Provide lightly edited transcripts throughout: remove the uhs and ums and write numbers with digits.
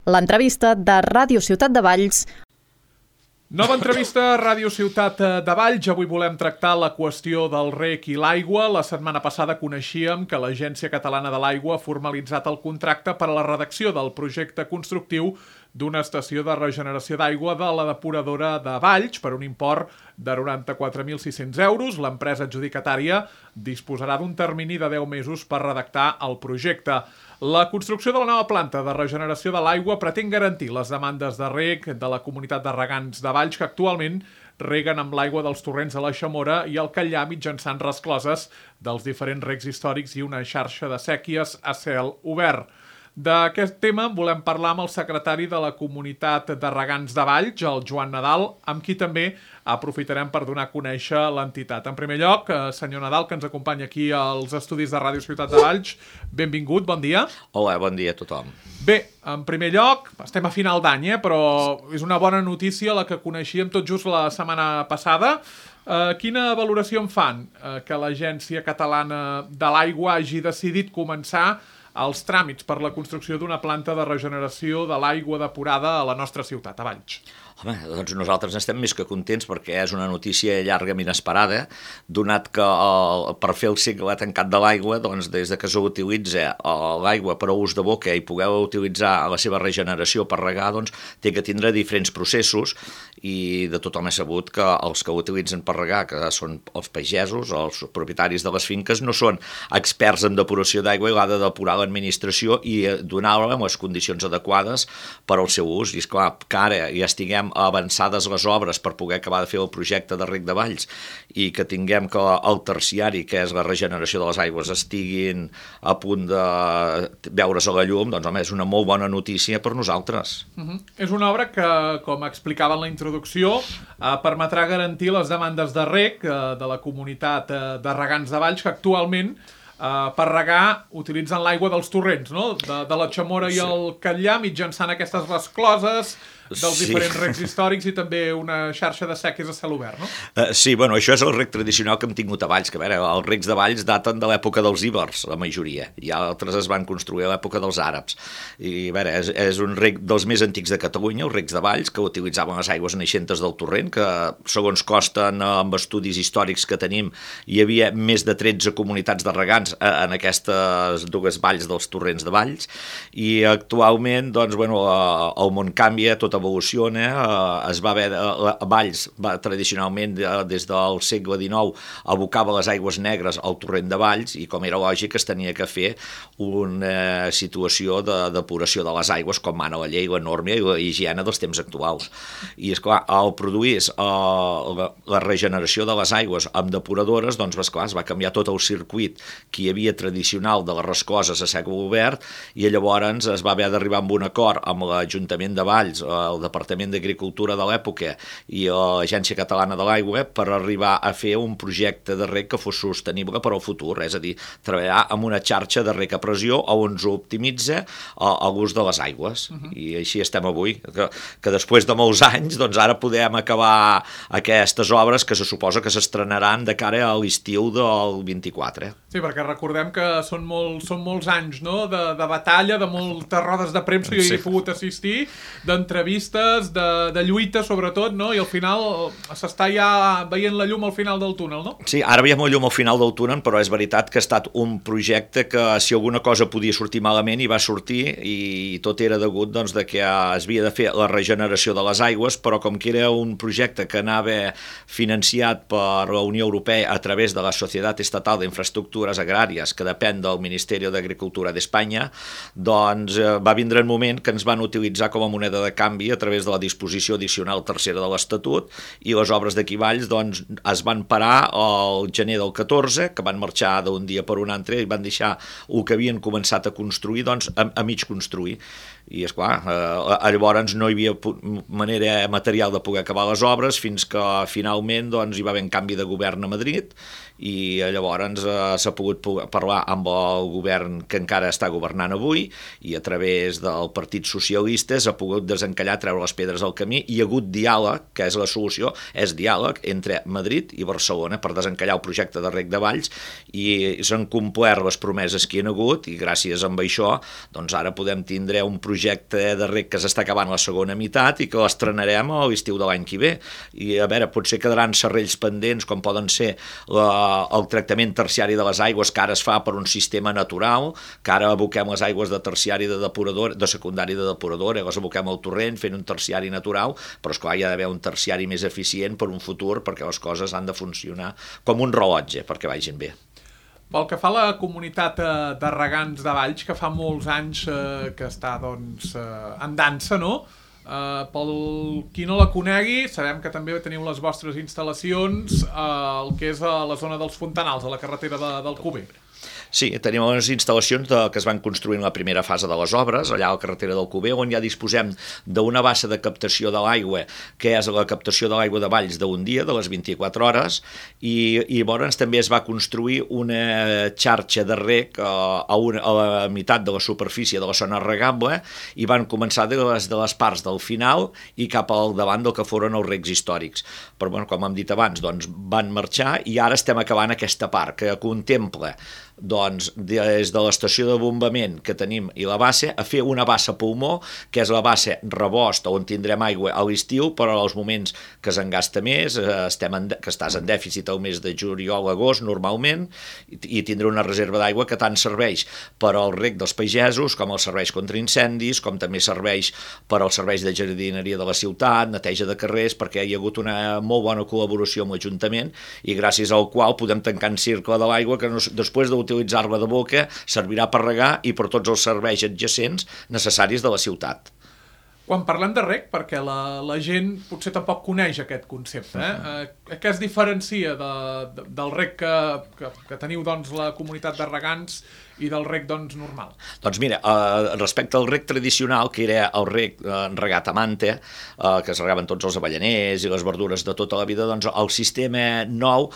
L'entrevista de Ràdio Ciutat de Valls. Nova entrevista a Ràdio Ciutat de Valls. Avui volem tractar la qüestió del reg i l'aigua. La setmana passada coneixíem que l'Agència Catalana de l'Aigua ha formalitzat el contracte per a la redacció del projecte constructiu d'una estació de regeneració d'aigua de la depuradora de Valls per un import de 94.600 euros. L'empresa adjudicatària disposarà d'un termini de 10 mesos per redactar el projecte. La construcció de la nova planta de regeneració de l'aigua pretén garantir les demandes de reg de la comunitat de regants de Valls que actualment reguen amb l'aigua dels torrents de la Xamora i el Catllà mitjançant rescloses dels diferents regs històrics i una xarxa de séquies a cel obert. D'aquest tema volem parlar amb el secretari de la comunitat de regants de Valls, el Joan Nadal, amb qui també aprofitarem per donar a conèixer l'entitat. En primer lloc, senyor Nadal, que ens acompanya aquí als estudis de Ràdio Ciutat de Valls, benvingut, bon dia. Hola, bon dia a tothom. Bé, en primer lloc, estem a final d'any, però és una bona notícia la que coneixíem tot just la setmana passada. Quina valoració en fan que l'Agència Catalana de l'Aigua hagi decidit començar els tràmits per la construcció d'una planta de regeneració de l'aigua depurada a la nostra ciutat, a Valls? Home, doncs nosaltres estem més que contents perquè és una notícia llarga i inesperada, donat que per fer el cicle tancat de l'aigua, doncs des de que s'utilitza l'aigua per a ús de boca i poder utilitzar la seva regeneració per regar, doncs té que tindre diferents processos i de tothom he sabut que els que utilitzen per regar, que són els pagesos, els propietaris de les finques, no són experts en depuració d'aigua i l'ha de depurar l'administració i donar-la amb les condicions adequades per al seu ús. I esclar, que ara ja estiguem avançades les obres per poder acabar de fer el projecte de reg de Valls i que tinguem que el terciari, que és la regeneració de les aigües, estiguin a punt de veure's a la llum, doncs home, és una molt bona notícia per nosaltres. És una obra que, com explicava en la introducció, permetrà garantir les demandes de reg de la comunitat de regants de Valls, que actualment per regar utilitzen l'aigua dels torrents, no? De la Xamora i el Catllà, mitjançant aquestes rescloses dels diferents regs històrics i també una xarxa de séquies a cel obert, no? Sí, bueno, això és el reg tradicional que hem tingut a Valls, que a veure, els regs de Valls daten de l'època dels íbers, la majoria, i altres es van construir a l'època dels àrabs. I a veure, és un reg dels més antics de Catalunya, els regs de Valls, que utilitzaven les aigües naixentes del torrent, que segons consten amb estudis històrics que tenim, hi havia més de 13 comunitats de regants en aquestes dues valls dels torrents de Valls, i actualment, doncs, bueno, el món canvia, tot evoluciona, es va haver, Valls tradicionalment des del segle XIX abocava les aigües negres al torrent de Valls i com era lògic es tenia que fer una situació de depuració de les aigües com mana la llei, la norma i la higiene dels temps actuals. I esclar, al produir la regeneració de les aigües amb depuradores, doncs esclar, es va canviar tot el circuit que hi havia tradicional de les rescloses a segle obert i llavors es va haver d'arribar amb un acord amb l'Ajuntament de Valls, el Departament d'Agricultura de l'època i l'Agència Catalana de l'Aigua per arribar a fer un projecte de reg que fos sostenible per al futur, és a dir, treballar amb una xarxa de reg a pressió on s'optimitza l'ús de les aigües. I així estem avui, que després de molts anys, doncs ara podem acabar aquestes obres que se suposa que s'estrenaran de cara a l'estiu del 24. Sí, perquè recordem que són molts anys, no?, de batalla, de moltes rodes de premsa, jo hi he pogut assistir, d'entrevistes, de lluita sobretot, no? I al final s'està ja veient la llum al final del túnel, no? Sí, ara veiem la llum al final del túnel, però és veritat que ha estat un projecte que si alguna cosa podia sortir malament hi va sortir i tot era degut doncs, de que es havia de fer la regeneració de les aigües, però com que era un projecte que anava financiat per la Unió Europea a través de la Societat Estatal d'Infraestructures Agràries, que depèn del Ministeri d'Agricultura d'Espanya, doncs va vindre un moment que ens van utilitzar com a moneda de canvi a través de la disposició addicional tercera de l'Estatut i les obres d'aquí Valls doncs, es van parar al gener del 14, que van marxar d'un dia per un altre i van deixar el que havien començat a construir doncs, a mig construir. I esclar, llavors no hi havia manera material de poder acabar les obres fins que finalment doncs, hi va haver un canvi de govern a Madrid i llavors s'ha pogut parlar amb el govern que encara està governant avui i a través del Partit Socialista s'ha pogut desencallar, treure les pedres al camí i hi ha hagut diàleg, que és la solució, és diàleg entre Madrid i Barcelona per desencallar el projecte de reg de Valls i s'han complert les promeses que hi ha hagut i gràcies a això doncs ara podem tindre un projecte projecte de rec que s'està acabant la segona meitat i que l'estrenarem a l'estiu de l'any que ve. I a veure, potser quedaran serrells pendents com poden ser el tractament terciari de les aigües que ara es fa per un sistema natural, que ara aboquem les aigües de terciari de depuradora, de secundari de depuradora, les aboquem al torrent fent un terciari natural, però esclar hi ha d'haver un terciari més eficient per un futur perquè les coses han de funcionar com un rellotge perquè vagin bé. Pel que fa a la comunitat de regants de Valls, que fa molts anys que està en dansa, no? Pel qui no la conegui, sabem que també teniu les vostres instal·lacions el que és a la zona dels Fontanals, a la carretera d'Alcover. Sí, tenim unes instal·lacions que es van construir en la primera fase de les obres, allà a la carretera d'Alcover, on ja disposem d'una bassa de captació de l'aigua, que és la captació de l'aigua de Valls d'un dia, de les 24 hores, i llavors també es va construir una xarxa de rec a la meitat de la superfície de la zona regable, i van començar de les parts del final i cap al davant del que foren els recs històrics. Però, bueno, com hem dit abans, doncs, van marxar i ara estem acabant aquesta part, que contempla doncs, des de l'estació de bombament que tenim i la bassa, a fer una bassa pulmó, que és la bassa rebost on tindrem aigua a l'estiu, però als moments que s'engasta més, que estàs en dèficit al mes de juliol-agost normalment, i tindré una reserva d'aigua que tant serveix per al rec dels pagesos, com els serveis contra incendis, com també serveix per als serveis de jardineria de la ciutat, neteja de carrers, perquè hi ha hagut una molt bona col·laboració amb l'Ajuntament i gràcies al qual podem tancar en cercle de l'aigua que després d'utilitzar-la de boca servirà per regar i per tots els serveis adjacents necessaris de la ciutat. Quan parlem de rec, perquè la gent potser tampoc coneix aquest concepte, què es diferencia del rec que teniu la comunitat de regants i del rec normal? Doncs mira, respecte al rec tradicional, que era el rec regat a manta, que es regaven tots els avellaners i les verdures de tota la vida, doncs el sistema nou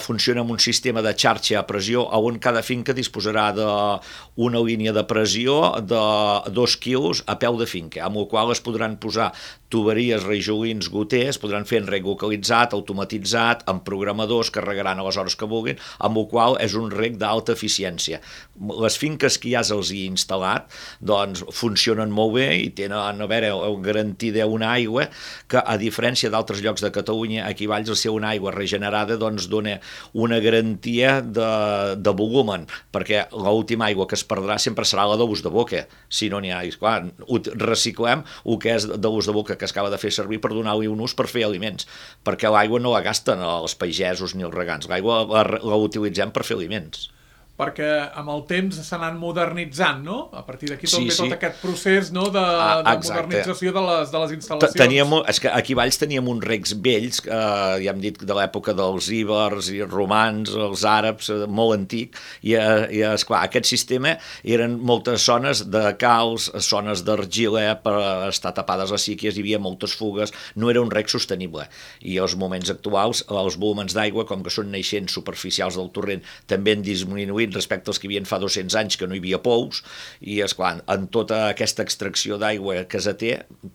funciona amb un sistema de xarxa a pressió on cada finca disposarà d'una línia de pressió de 2 quilos a peu de finca, amb la qual es podran posar tuberies, rajolins, goters, podran fer en rec localitzat, automatitzat, amb programadors que regaran a les hores que vulguin, amb el qual és un rec d'alta eficiència. Les finques que ja se'ls hi ha instal·lat doncs funcionen molt bé i tenen, a veure, garantida una aigua que, a diferència d'altres llocs de Catalunya, aquí a Valls, al ser una aigua regenerada, doncs dona una garantia de volumen, perquè l'última aigua que es perdrà sempre serà la d'ús de boca, si no n'hi ha. Clar, reciclem el que és de l'ús de boca que es acaba de fer servir per donar-li un ús per fer aliments, perquè l'aigua no la gasten els pagesos ni els regants, l'aigua la utilitzem per fer aliments. Perquè amb el temps s'ha anat modernitzant, no? A partir d'aquí tot aquest procés de modernització de les instal·lacions. És que aquí a Valls teníem uns recs vells, ja hem dit de l'època dels íbers i romans, els àrabs, molt antic, i esclar, aquest sistema eren moltes zones de calç, zones d'argila per estar tapades les síquies, hi havia moltes fugues, no era un rec sostenible. I als moments actuals, els volumens d'aigua, com que són naixents superficials del torrent, també han disminuït respecte als que hi havia fa 200 anys que no hi havia pous, i esclar, en tota aquesta extracció d'aigua que se té,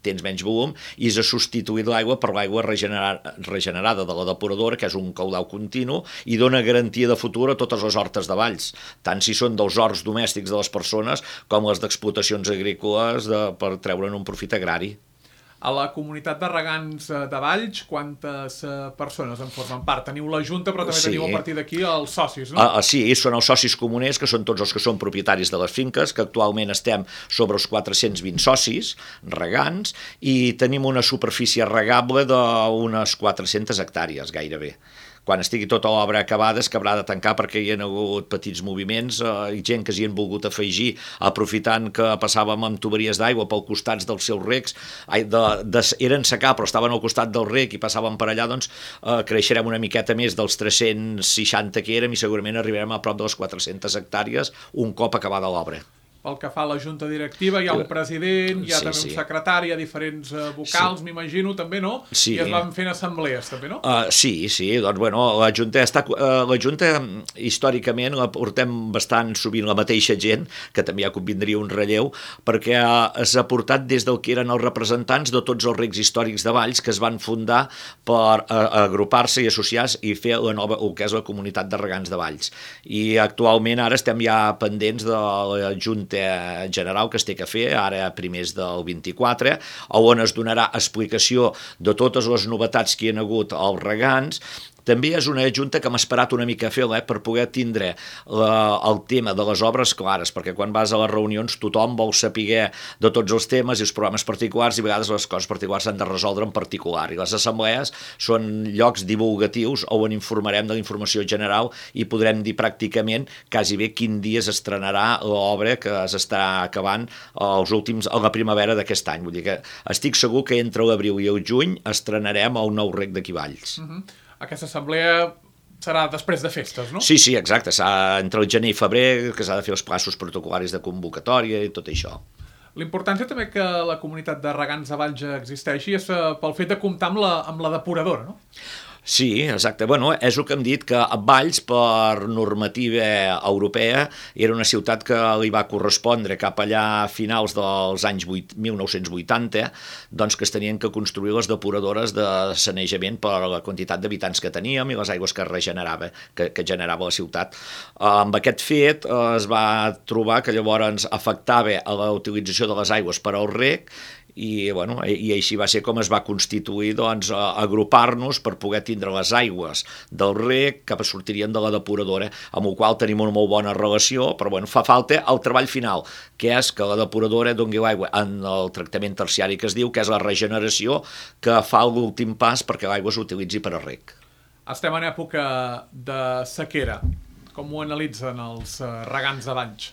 tens menys volum, i s'ha substituït l'aigua per l'aigua regenerada de la depuradora, que és un caudal continu, i dona garantia de futur a totes les hortes de Valls, tant si són dels horts domèstics de les persones com les d'explotacions agrícoles per treure'n un profit agrari. A la comunitat de regants de Valls, quantes persones en formen part? Teniu la Junta, però també teniu a partir d'aquí els socis, no? Sí, són els socis comuners, que són tots els que són propietaris de les finques, que actualment estem sobre els 420 socis regants, i tenim una superfície regable d'unes 400 hectàrees, gairebé. Quan estigui tota l'obra acabada es acabarà de tancar perquè hi ha hagut petits moviments i gent que s'hi han volgut afegir aprofitant que passàvem amb tuberies d'aigua pel costats dels seus recs, eren secà però estaven al costat del rec i passàvem per allà, doncs creixerem una miqueta més dels 360 que érem i segurament arribarem a prop de les 400 hectàrees un cop acabada l'obra. Pel que fa a la junta directiva, hi ha un president, hi ha també un secretari, hi ha diferents vocals, m'imagino, també, no? I es van fent assemblees, també, no? Sí, doncs, bueno, la Junta històricament la portem bastant sovint la mateixa gent, que també ja convindria un relleu, perquè s'ha portat des del que eren els representants de tots els recs històrics de Valls que es van fundar per agrupar-se i associar-se i fer el que és la comunitat de regants de Valls. I actualment ara estem ja pendents de la Junta acte general que es té que fer, ara a primers del 24, on es donarà explicació de totes les novetats que hi ha hagut als regants. També és una junta que hem esperat una mica a fer-la per poder tindre el tema de les obres clares, perquè quan vas a les reunions tothom vol saber de tots els temes i els problemes particulars, i a vegades les coses particulars s'han de resoldre en particular. I les assemblees són llocs divulgatius on informarem de la informació general i podrem dir pràcticament quasi bé quin dia s'estrenarà l'obra que s'està acabant a la primavera d'aquest any. Vull dir que estic segur que entre l'abril i el juny estrenarem el nou rec d'aquí Valls. Aquesta assemblea serà després de festes, no? Sí, exacte. Entre el gener i febrer, que s'ha de fer els plaços protocol·laris de convocatòria i tot això. L'importància també que la comunitat de regants de Valls existeixi és pel fet de comptar amb la depuradora, no? Sí, exacte. Bueno, és el que hem dit, que Valls, per normativa europea, era una ciutat que li va correspondre cap allà a finals dels anys 1980, doncs que es tenien que construir les depuradores de sanejament per la quantitat d'habitants que teníem i les aigües que generava la ciutat. Amb aquest fet es va trobar que llavors afectava a la utilització de les aigües per al reg, i així va ser com es va constituir, doncs, agrupar-nos per poder tindre les aigües del reg que sortirien de la depuradora, amb el qual tenim una molt bona relació, però fa falta el treball final, que és que la depuradora doni l'aigua en el tractament terciari que es diu, que és la regeneració, que fa l'últim pas perquè l'aigua s'utilitzi per a reg. Estem en època de sequera. Com ho analitzen els regants de Valls?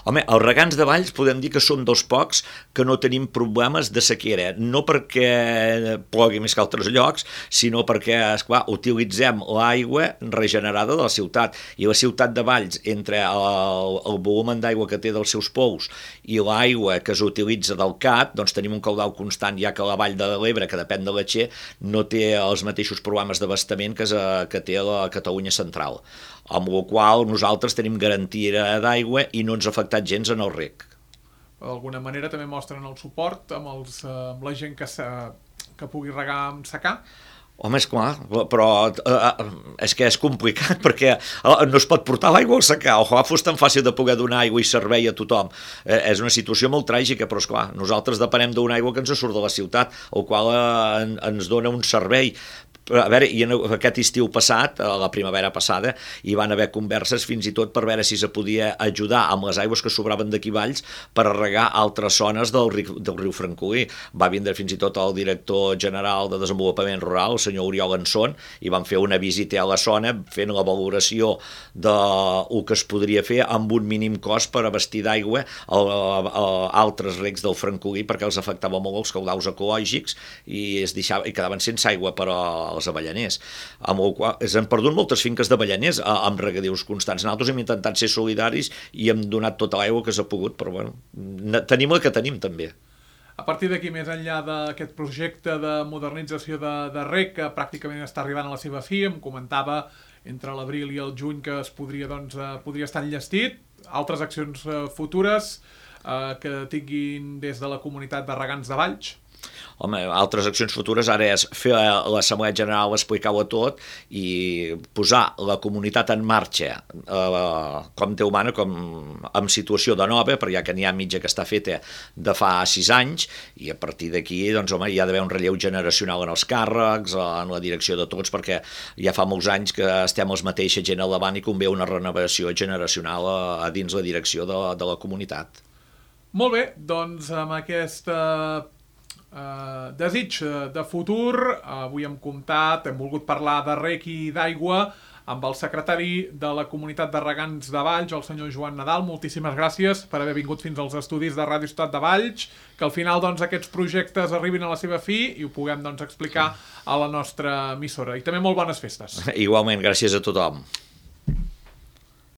Home, els regants de Valls podem dir que som dels pocs que no tenim problemes de sequera, no perquè plogui més que altres llocs, sinó perquè, esclar, utilitzem l'aigua regenerada de la ciutat, i la ciutat de Valls, entre el volum d'aigua que té dels seus pous i l'aigua que s'utilitza del CAT, doncs tenim un caudal constant, ja que la vall de l'Ebre, que depèn de la Txer, no té els mateixos problemes d'abastament que té la Catalunya central, amb la qual nosaltres tenim garantia d'aigua i no ens ha afectat gens en el reg. D'alguna manera també mostren el suport amb la gent que pugui regar amb secà? Home, esclar, però és que és complicat perquè no es pot portar l'aigua al secà. Ojalà fos tan fàcil de poder donar aigua i servei a tothom. És una situació molt tràgica, però esclar, nosaltres depenem d'una aigua que ens surt de la ciutat, el qual ens dona un servei. A veure, i aquest estiu passat, la primavera passada, hi van haver converses fins i tot per veure si se podia ajudar amb les aigües que sobraven d'aquí Valls per a regar altres zones del riu Francolí. Va vindre fins i tot el director general de Desenvolupament Rural, el senyor Oriol Anson, i van fer una visita a la zona fent la valoració del que es podria fer amb un mínim cost per abastir d'aigua altres recs del Francolí, perquè els afectava molt els caudals ecològics i quedaven sense aigua per als avellaners, amb el qual s'han perdut moltes finques d'avellaners amb regadius constants. Nosaltres hem intentat ser solidaris i hem donat tota l'aigua que s'ha pogut, però tenim el que tenim també. A partir d'aquí, més enllà d'aquest projecte de modernització de reg, que pràcticament està arribant a la seva fi, em comentava entre l'abril i el juny que podria estar enllestit, altres accions futures que tinguin des de la comunitat de regants de Valls? Home, altres accions futures ara és fer l'assemblea general, explicar-ho tot i posar la comunitat en marxa com Déu mana, com en situació de nova, perquè ja que n'hi ha mitja que està feta de fa 6 anys, i a partir d'aquí doncs, home, hi ha d'haver un relleu generacional en els càrrecs, en la direcció de tots, perquè ja fa molts anys que estem els mateixa gent al davant i convé una renovació generacional a dins la direcció de la comunitat. Molt bé, doncs amb aquesta desig de futur, avui hem volgut parlar de reg i d'aigua amb el secretari de la comunitat de regants de Valls, el senyor Joan Nadal. Moltíssimes gràcies per haver vingut fins als estudis de Ràdio Ciutat de Valls, que al final aquests projectes arribin a la seva fi i ho puguem explicar a la nostra emissora. I també molt bones festes. Igualment, gràcies a tothom.